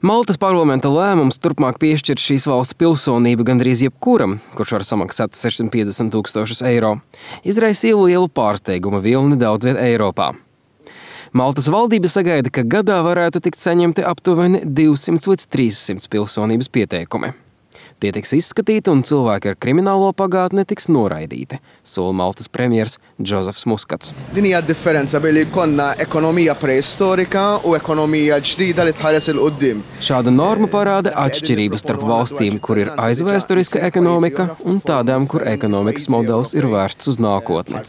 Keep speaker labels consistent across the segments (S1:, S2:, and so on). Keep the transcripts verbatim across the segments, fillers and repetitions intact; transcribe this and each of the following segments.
S1: Maltas parlamenta lēmums turpmāk piešķir šīs valsts pilsonību gandrīz jebkuram, kurš var samaksāt sešsimt piecdesmit tūkstošus eiro, izraisīja lielu pārsteiguma vilni daudz viet Eiropā. Maltas valdība sagaida, ka gadā varētu tikt saņemti aptuveni divsimt līdz trīssimt pilsonības pieteikumi. Tie tiks izskatīti un cilvēki ar kriminālo pagātni tiks noraidīti, sola Maltas premjers Džozefs Muskats.
S2: Din hija differenza bejn konna ekonomija preistorika u ekonomija ġdida li tħares il qudiem.
S1: Šāda norma parāda atšķirību starp valstīm, kur ir aizvēsturiska ekonomika, un tādām, kur ekonomikas modelis ir vērsts uz nākotni.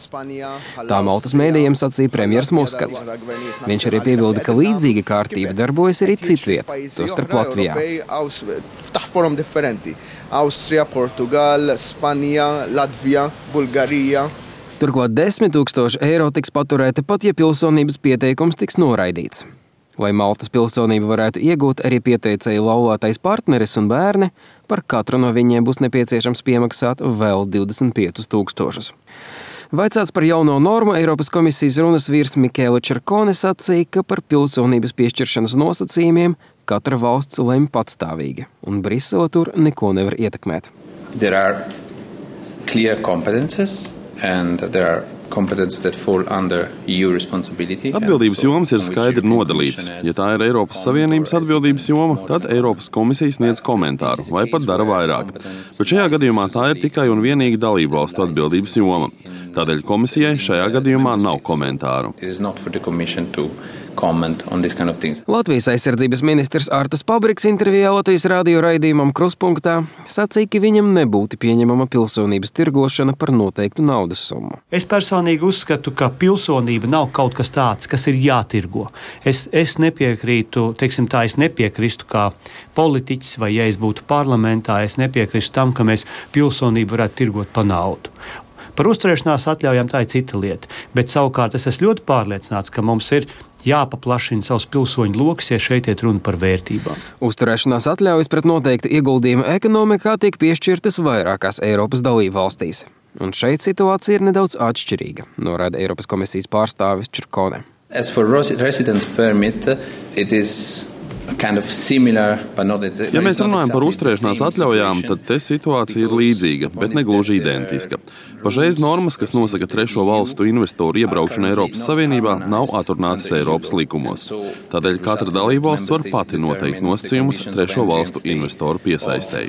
S1: Tā Maltas mēdījiem sacīja premjers Muskats. Viņš arī piebilda, ka līdzīga kārtība darbojas arī citviet, tostarp Latvijā.
S2: Taħforom differenti. Austria, Portugal, Spanja, Latvija, Bulgarija.
S1: Turklāt desmit tūkstoši eiro tiks paturēti pat, ja pilsonības pieteikums tiks noraidīts. Lai Maltas pilsonību varētu iegūt arī pieteicēju laulātais partneris un bērni, par katru no viņiem būs nepieciešams piemaksāt vēl divdesmit piecus tūkstošus. Vaicāts par jauno normu, Eiropas komisijas runas vīrs Mikēla Čerkone sacīja, ka par pilsonības piešķiršanas nosacījumiem katra valsts lemj patstāvīgi, un Brisele tur neko nevar ietekmēt.
S3: There are clear competences and there are competences that fall under E U responsibility.
S4: Atbildības jomas ir skaidri nodalītas. Ja tā ir Eiropas Savienības atbildības joma, tad Eiropas komisija sniedz komentāru vai pat dara vairāk. Bet šajā gadījumā tā ir tikai un vienīgi dalību valstu atbildības joma. Tādēļ komisijai šajā gadījumā nav komentāru.
S3: Kind of
S1: Latvijas aizsardzības ministrs Artas Pabriks intervijā Latvijas radio raidījumam Kruspunktā sacīja, ka viņam nebūtu pieņemama pilsonības tirgošana par noteiktu naudas summu.
S5: Es personīgi uzskatu, ka pilsonība nav kaut kas tāds, kas ir jātirgo. Es, es nepiekrītu, teiksim tā, es nepiekrīstu kā politiķis vai ja es būtu parlamentā, es nepiekrīstu tam, ka mēs pilsonību varētu tirgot pa naudu. Par uzturēšanās atļaujām tā ir cita lieta, bet savukārt es esmu ļoti pārliecināts, ka mums ir jāpaplašina savus pilsoņu lokus, ja šeit iet runa par vērtībām.
S1: Uzturēšanās atļaujas pret noteiktu ieguldījumu ekonomikā tiek piešķirtas vairākās Eiropas dalībvalstīs. Un šeit situācija ir nedaudz atšķirīga, norāda Eiropas komisijas pārstāvis Čerkone.
S3: As for residence permit, it is kind of similar, but not exactly.
S4: Ja mēs runājam par uzturēšanās atļaujām, tad te situācija ir līdzīga, bet ne gluži identiska. Pašreiz normas, kas nosaka trešo valstu investoru iebraukšanu Eiropas Savienībā, nav atrunātas Eiropas likumos. Tādēļ katra dalībvalsts var pati noteikt nosacījumus trešo valstu investoru piesaistēji.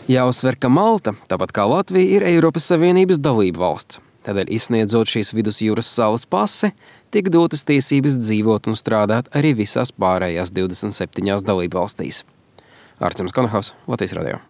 S1: Jāuzsver, ka Malta, tāpat kā Latvija, ir Eiropas Savienības dalība valsts. Tādēļ, izsniedzot šīs vidusjūras salas pase, tiek dotas tiesības dzīvot un strādāt arī visās pārējās divdesmit septiņās dalībvalstīs. Artjoms Konohaus, Latvijas radio.